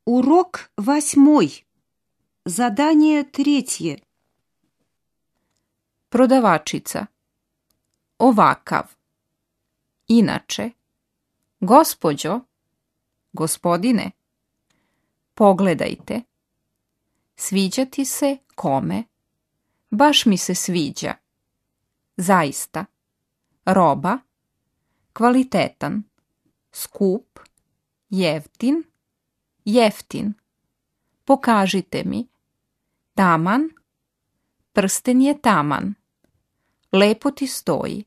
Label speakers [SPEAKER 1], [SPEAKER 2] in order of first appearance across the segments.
[SPEAKER 1] Урок 8. Задание 3.
[SPEAKER 2] Prodavačica. Ovakav. Inače. Gospođo. Gospodine. Pogledajte. Sviđati se kome? Baš mi se sviđa. Zaista. Roba. Kvalitetan. Skup. Jeftin. Jeftin. Pokažite mi. Taman. Prsten je taman. Lepo ti stoji.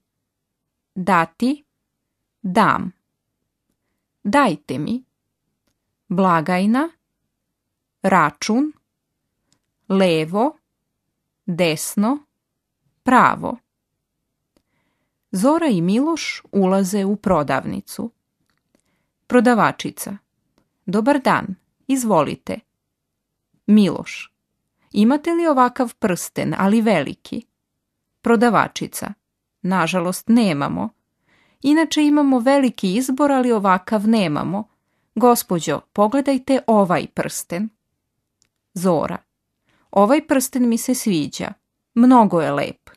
[SPEAKER 2] Dati. Dam. Dajte mi. Blagajna. Račun. Levo. Desno. Pravo. Zora i Miloš ulaze u prodavnicu. Prodavačica. Dobar dan, izvolite. Miloš. Imate li ovakav prsten, ali veliki? Prodavačica. Nažalost, nemamo. Inače imamo veliki izbor, ali ovakav nemamo. Gospođo, pogledajte ovaj prsten. Zora. Ovaj prsten mi se sviđa. Mnogo je lep.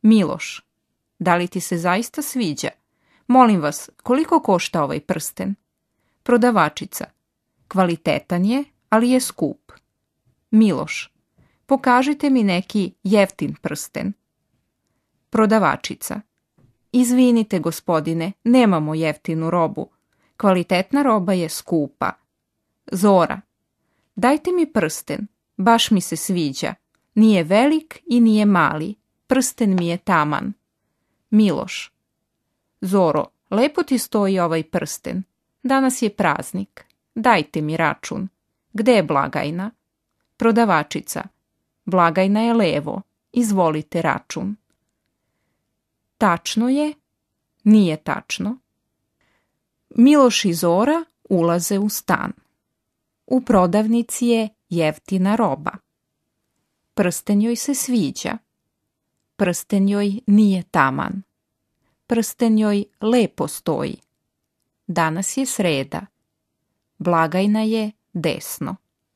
[SPEAKER 2] Miloš. Da li ti se zaista sviđa? Molim vas, koliko košta ovaj prsten? Prodavačica. Kvalitetan je, ali je skup. Miloš. Pokažite mi neki jeftin prsten. Prodavačica. Izvinite, gospodine, nemamo jeftinu robu. Kvalitetna roba je skupa. Zora. Dajte mi prsten. Baš mi se sviđa. Nije velik i nije mali. Prsten mi je taman. Miloš. Zoro, lepo ti stoji ovaj prsten. Danas je praznik. Dajte mi račun. Gde je blagajna? Prodavačica. Blagajna je levo. Izvolite račun. Tačno je? Nije tačno. Miloš i Zora ulaze u stan. U prodavnici je jeftina roba. Prsten joj se sviđa. Prsten joj nije taman. Prsten joj lepo stoji. Danas je sreda. Blagajna je desno.